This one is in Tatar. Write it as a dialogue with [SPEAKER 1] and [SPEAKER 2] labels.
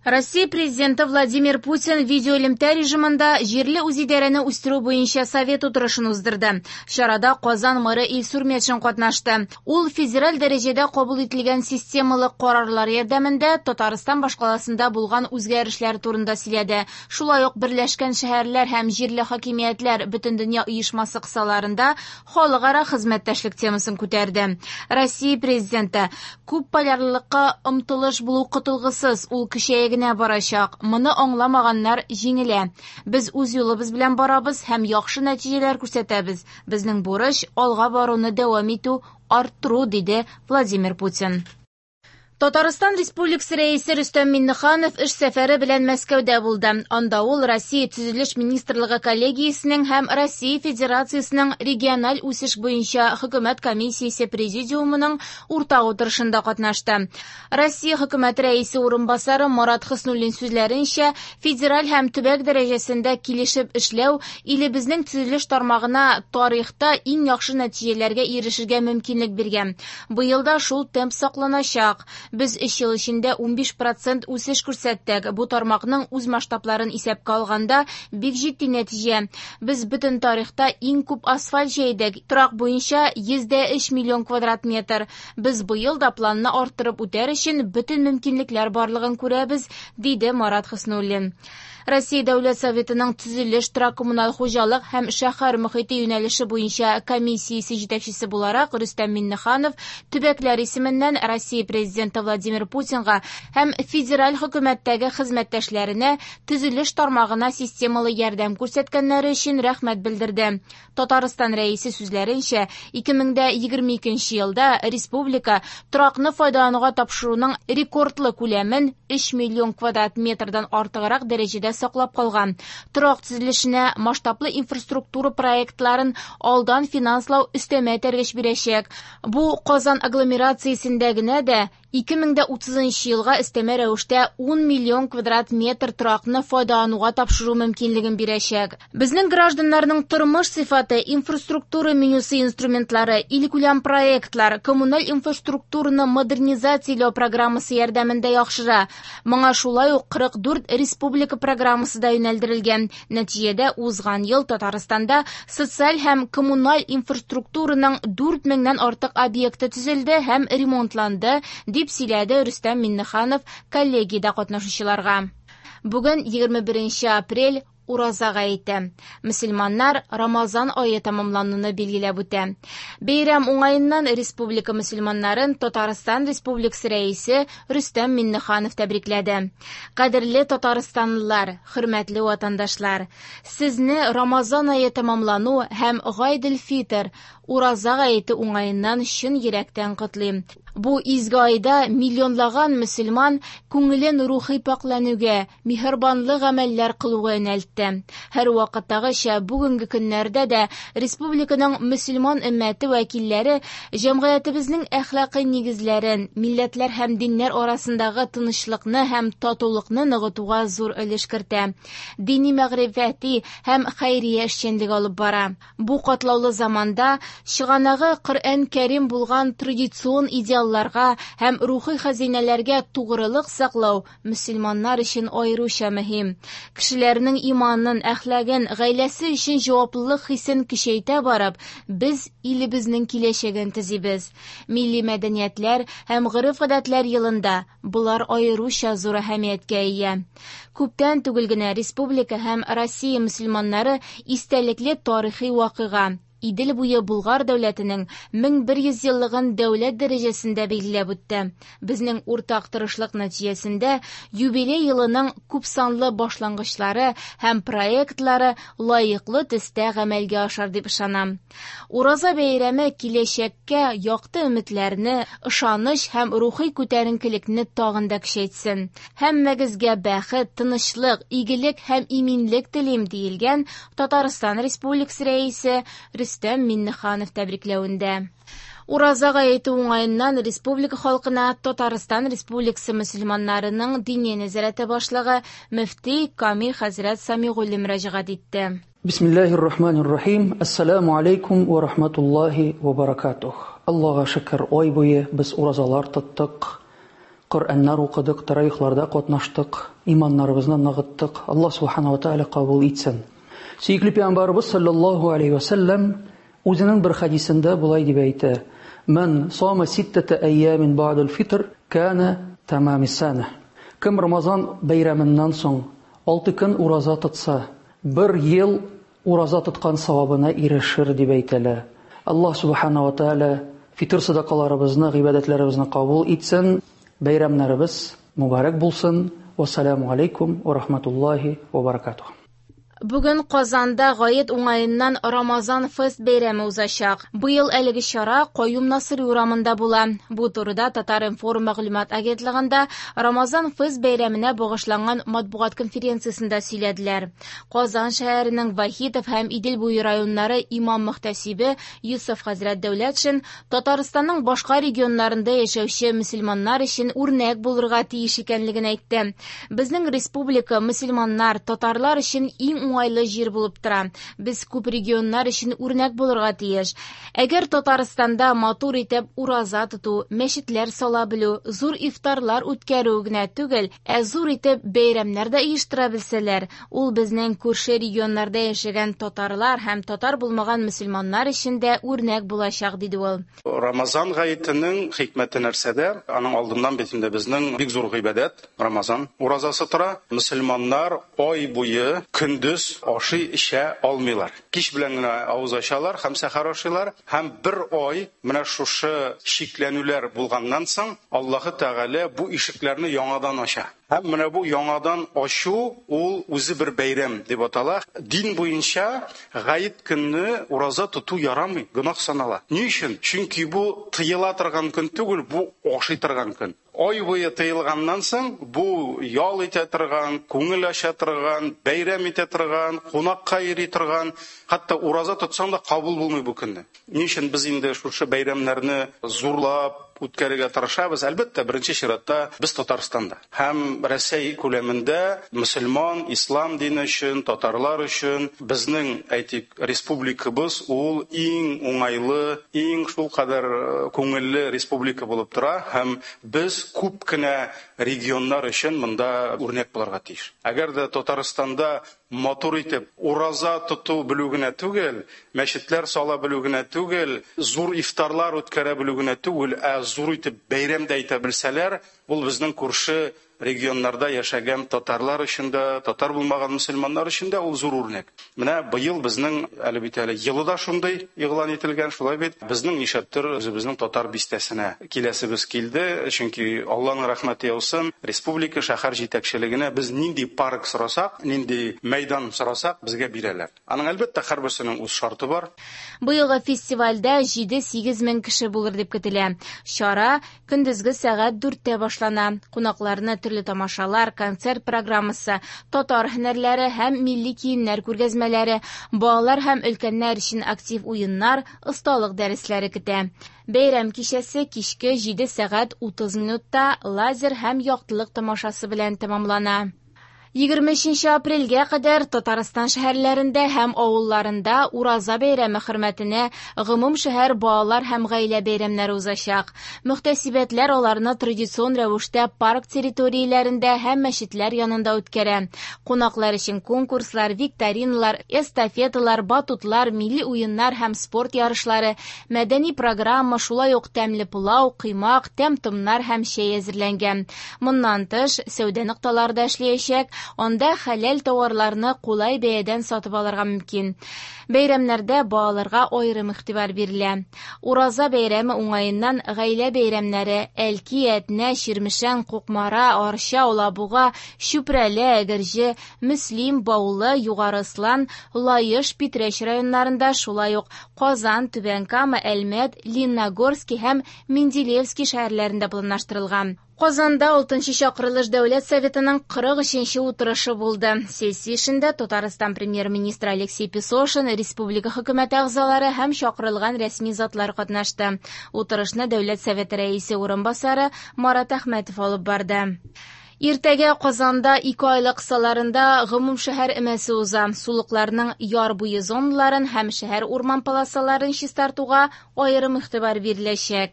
[SPEAKER 1] Россия Президенты Владимир Путин видеоэлемтә режимында җирле үзидарәне үстерү буенча совет утырышын уздырды. Чарада Казан мэры Илсур Метшин катнашты. Ул федераль дәрәҗәдә кабул ителгән системалы карарлар ярдәмендә Татарстан башкаласында булган үзгәрешләр турында сөйләде. Шулай ук Берләшкән шәһәрләр һәм җирле хакимиятләр Бөтендөнья оешмасы кысаларында халыкара хезмәттәшлек темасын күтәрде. Россия Президенты күп полярлылыкка омтылыш булу котылгысыз, ул көчәя генә барачак. Моны аңламаганнар җиңелә. Без үз юлыбыз белән барабыз һәм яхшы нәтиҗәләр күрсәтәбез. Безнең бурыч алга баруны дәвам итү, арттыру, диде Владимир Путин. Татарстан Республикасы Рәисе Рөстәм Миңнеханов эш сәфәре белән Мәскәүдә булды. Анда ул Россия Төзелеш министрлыгы коллегиясенең һәм Россия Федерациясенең региональ үсеш буенча хөкүмәт комиссиясе президиумының уртак утырышында катнашты. Россия хөкүмәте рәисе урынбасары Марат Хөснуллин сүзләренчә, федераль һәм төбәк дәрәҗәсендә килешеп эшләү илебезнең төзелеш тармагына тарихта иң яхшы нәтиҗәләргә ирешергә мөмкинлек биргән. Быел да шул темп сакланачак. Без өч ел эчендә 15 процент үсеш күрсәттек. Бу тармакның үз масштабларын исәпкә алганда бик җитди нәтиҗә. Без бөтен тарихта иң күп асфальт җәйдек. Торак буенча 103 миллион квадрат метр. Без быел да планны арттырып үтәр өчен бөтен мөмкинлекләр барлыгын күрәбез, диде Марат Хөснуллин. Россия Дәүләт Советының төзелеш, торак-коммуналь хуҗалык һәм шәһәр мохите юнәлеше буенча комиссиясе җитәкчесе буларак Рөстәм Миңнеханов төбәкләр исеменнән Россия Президенты Владимир Путинга һәм федераль хөкүмәттәге хезмәттәшләренә төзелеш тармагына системалы ярдәм күрсәткәннәре өчен рәхмәт белдерде. Татарстан Рәисе сүзләренчә, 2022 елда республика торакны файдалануга тапшыруның рекордлы күләмен 3 миллион квадрат метрдан артыграк дәрәҗәдә саклап калган. Торак төзелешенә масштаблы инфраструктура проектларын алдан финанслау өстәмә этәргеч бирәчәк. Бу Казан агломерациясендә генә дә 2030 елга өстәмә рәвештә 10 миллион квадрат метр торакны файдалануга тапшыру мөмкинлеген бирәчәк. Безнең гражданнарның тормыш сыйфаты, инфраструктура менюсы инструментлары, илкүләм проектлар, коммуналь инфраструктураны модернизацияләү программасы ярдәмендә яхшыра. Моңа шулай ук 44 республика программасы да юнәлдерелгән. Нәтиҗәдә узган ел Татарстанда социаль һәм коммуналь инфраструктураның 4 меңнән артык объекты төзелде һәм ремонтланды, дип сөйләде Рөстәм Миңнеханов коллегиядә катнашучыларга. Бүген 21 апрель Ураза гаете. Мөселманнар Рамазан ае тәмамлануны билгеләп үтә. Бәйрәм уңаеннан республика мөселманнарын Татарстан Республикасы Рәисе Рөстәм Миңнеханов тәбрикләде. Кадерле татарстанлылар, хөрмәтле ватандашлар, сезне Рамазан ае тәмамлану һәм Гайдел-Фитр, Ураза гаете уңаеннан чын йөрәктән котлыйм. Бу изге айда миллионлаган мөселман күңелен рухи пакьләнүгә, миһербанлы гамәлләр кылуга юнәлтте. Һәрвакыттагыча, бүгенге көннәрдә дә республиканың мөселман өммәте вәкилләре җәмгыятебезнең әхлакый нигезләрен, милләтләр һәм диннәр арасындагы тынычлыкны һәм татулыкны ныгытуга зур өлеш кертә. Дини мәгърифәти һәм хәйрия эшчәнлеге алып бара. Бу катлаулы заманда чыганагы Коръән-Кәрим булган традицион идеалларга һәм рухи хәзинәләргә тугрылык саклау мөселманнар өчен аеруча мөһим. Кешеләрнең иманын, әхлагын, гаиләсе өчен җаваплылык хисен көчәйтә барып, без илебезнең киләчәген төзибез. Милли мәдәниятләр һәм гореф-гадәтләр елында болар аеруча зур әһәмияткә ия. Күптән түгел генә республика һәм Россия мөселманнары истәлекле тарихи вакыйга Идел буе Болгар дәүләтенең 1100 еллыгын дәүләт дәрәҗәсендә билгеләп үтте. Безнең уртак тырышлык нәтиҗәсендә юбилей елының күпсанлы башлангычлары һәм проектлары лаеклы төстә гамәлгә ашар дип ышанам. Ураза бәйрәме киләчәккә якты өметләрне, ышаныч һәм рухи күтәренкелекне тагын да көчәйтсен. Һәммәгезгә бәхет, тынычлык, игелек һәм иминлек телим, диелгән Татарстан Республикасы Рәисе Рөстәм Миңнеханов тәбрикләвендә. Ураза гаете уңаеннан республика халкына Татарстан Республикасы мөселманнарының Диния нәзарәте башлыгы мөфти Камил хәзрәт Самигуллин мөрәҗәгать итте.
[SPEAKER 2] Бисмиллахир рахманир рахим. Ассаламу алейкум ва рахматуллахи ва баракатух. Аллага шөкер, ай буе без уразалар тоттык. Коръәннәр укыдык, таравихларда катнаштык, иманнарыбызны ныгыттык. Аллаһ субхана ва тааля кабул итсен. Сөекле пәйгамбәребез саллаллаһу алейхи ва сәлләм үзенең бер хәдисендә болай дип әйтә: "Ман сама ситтата айямин бa'дал фитр кана тамами сана". Кем Рамазан бәйрәменнән соң 6 көн ураза тотса, бер ел ураза тоткан савабына ирешер дип әйтәләр. Аллаһ субхана ва тааля фитр садакаларыбызны, гыйбадәтләребезне кабул итсен. Бәйрәмнәребез мөбарәк булсын. Вассаламу алейкум ва рахматуллахи ва баракатух.
[SPEAKER 1] Бүген Казанда гает уңаеннан Рамазан фест бәйрәме узачак. Быел әлеге чара Каюм Насыйри урамында була. Бу турыда Татар-информ мәгълүмат агентлыгында Рамазан фест бәйрәменә багышланган матбугат конференциясендә сөйләделәр. Казан шәһәренең Вахитов һәм Идел буе районнары имам-мөхтәсибе Йосыф хәзрәт Дәүләтшин Татарстанның башка регионнарында яшәүче мөселманнар өчен үрнәк булырга тиеш икәнлеген әйтте. Безнең республика мөселманнар, татарлар өчен иң уңайлы җир булып тора. Без күп регионнар өчен үрнәк булырга тиеш. Әгәр Татарстанда матур итеп ураза тоту, мәчетләр сала белү, зур ифтарлар үткәрү генә түгел, ә зур итеп бәйрәмнәр дә оештыра белсәләр, ул безнең күрше регионнарда яшәгән татарлар һәм татар булмаган мөселманнар өчен дә үрнәк булачак, диде ул.
[SPEAKER 3] Рамазан гаетенең хикмәте нәрсәдә? Аның алдыннан бит инде безнең бик зур гыйбадәт Рамазан уразасы тора. Мөселманнар ай буе көндез ашый эчә алмыйлар. Кич белән генә авыз ачалар һәм сәхәр ашыйлар, һәм бер ай менә шушы чикләнүләр булганнан соң Аллаһы Тәгалә бу ишекләрне яңадан ача. Һәм менә бу яңадан ачу ул үзе бер бәйрәм дип атала. Дин буенча гает көнне ураза тоту ярамый, гөнаһ санала. Ни өчен? Чөнки бу тыела торган көн түгел, бу ашый торган көн. Ай буе тыелганнан соң бу ял итә торган, күңел ача торган, бәйрәм итә торган, кунакка йөри торган, хәтта ураза тотсаң да кабул булмый бу көнне. Ни өчен без инде шушы бәйрәмнәрне зурлап үткәрергә тырышабыз? Әлбәттә, беренче чиратта без Татарстанда һәм Рәсәй күләмендә мөселман, ислам дине өчен, татарлар өчен безнең, әйтик, республикабыз ул иң уңайлы, иң шулкадәр күңелле республика булып тора, һәм без күп кенә регионнар өчен монда үрнәк булырга тиеш. Әгәр дә Татарстанда матур итеп ураза тоту белү генә түгел, мәчетләр сала белү генә түгел, зур ифтарлар үткәрә белү генә түгел, ә зур итеп бәйрәм дә итә белсәләр, ул безнең күрше регионнарда яшәгән татарлар өчен дә, татар булмаган мөселманнар өчен дә ул зур үрнәк. Менә быел безнең әле бит әле елы да шундый игълан ителгән, шулай бит. Безнең нишләптер үзебезнең татар бистәсенә киләсебез килде, чөнки Алланың рәхмәте яусын, республика шәһәр җитәкчелегенә без нинди парк сорасак, нинди мәйдан сорасак, безгә бирәләр. Аның әлбәттә һәрберсенең үз шарты бар.
[SPEAKER 1] Быелгы фестивальдә 7-8 мең кеше булыр дип көтелә. Чара көндезге сәгать 4-тә башлана. Кунакларны төрле тамашалар, концерт программасы, татар һөнәрләре һәм милли киемнәр күргәзмәләре, балалар һәм өлкәннәр өчен актив уеннар, осталык дәресләре көтә. Бәйрәм кичәсе кичке 7 сәгать 30 минутта лазер һәм яктылык тамашасы белән тәмамлана. 23 апрельгә кадәр Татарстан шәһәрләрендә һәм авылларында Ураза бәйрәме хөрмәтенә гомум шәһәр балалар һәм гаилә бәйрәмнәре узачак. Мөхтәсибәтләр аларны традицион рәвештә парк территорияләрендә һәм мәчетләр янында үткәрә. Кунаклар өчен конкурслар, викториналар, эстафеталар, батутлар, милли уеннар һәм спорт ярышлары, мәдәни программа, шулай ук тәмле пылау, коймак, тәм-томнар һәм чәй әзерләнгән. Моннан тыш, сәүдә нокталары да эшләячәк. Анда хәләл тауарларны кулай бәядән сатып алырга мөмкин. Бәйрәмнәрдә балаларга аерым игътибар бирелә. Ураза бәйрәме уңаеннан гаилә бәйрәмнәре Әлки, Әтнә, Чирмешән, Кукмара, Арча, Алабуга, Чүпрәле, Әгерҗе, Мөслим, Баулы, Югары Ослан, Лаеш, Питрәч районнарында, шулай ук Казан, Түбән Кама, Әлмәт, Лениногорский һәм Менделеевский шәһәрләрендә планлаштырылган. Казанда 6-нчы чакырылыш Дәүләт Советының 43-нче утырышы булды. Сессия эшендә Татарстан премьер-министры Алексей Песошин, республика хөкүмәте әгъзалары һәм чакырылган рәсми затлар катнашты. Утырышны Дәүләт Советы рәисе урынбасары Марат Әхмәтов алып барды. Иртәгә Казанда 2 айлык кысаларында гомум шәһәр өмәсе уза. Сулыкларның яр буе зоналарын һәм шәһәр урман полосаларын чистартуга аерым игътибар биреләчәк.